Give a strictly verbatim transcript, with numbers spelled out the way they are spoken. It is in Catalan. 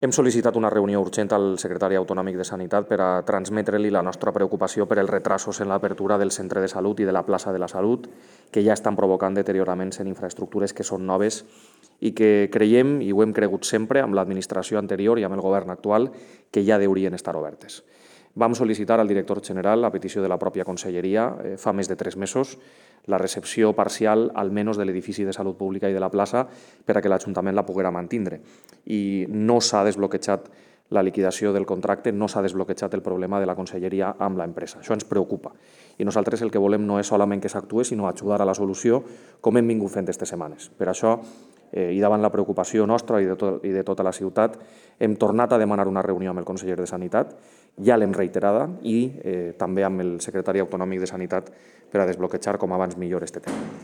Hem sol·licitat una reunió urgent al secretari autonòmic de Sanitat per a transmetre-li la nostra preocupació per els retrasos en l'apertura del centre de salut i de la plaça de la Salut, que ja estan provocant deterioraments en infraestructures que són noves i que creiem, i ho hem cregut sempre, amb l'administració anterior i amb el govern actual, que ja deurien estar obertes. Vam sol·licitar al director general, a petició de la pròpia conselleria, eh, fa més de tres mesos, la recepció parcial, almenys de l'edifici de Salut Pública i de la plaça, per a que l'Ajuntament la poguera mantindre. I no s'ha desbloquejat la liquidació del contracte, no s'ha desbloquejat el problema de la conselleria amb l'empresa. Això ens preocupa. I nosaltres el que volem no és solament que s'actue, sinó ajudar a la solució, com hem vingut fent aquestes setmanes. Per això, eh, i davant la preocupació nostra i de, tot, i de tota la ciutat, hem tornat a demanar una reunió amb el conseller de Sanitat, ja l'hem reiterada, i eh, també amb el secretari autonòmic de Sanitat per a desbloquejar com abans millor aquest tema.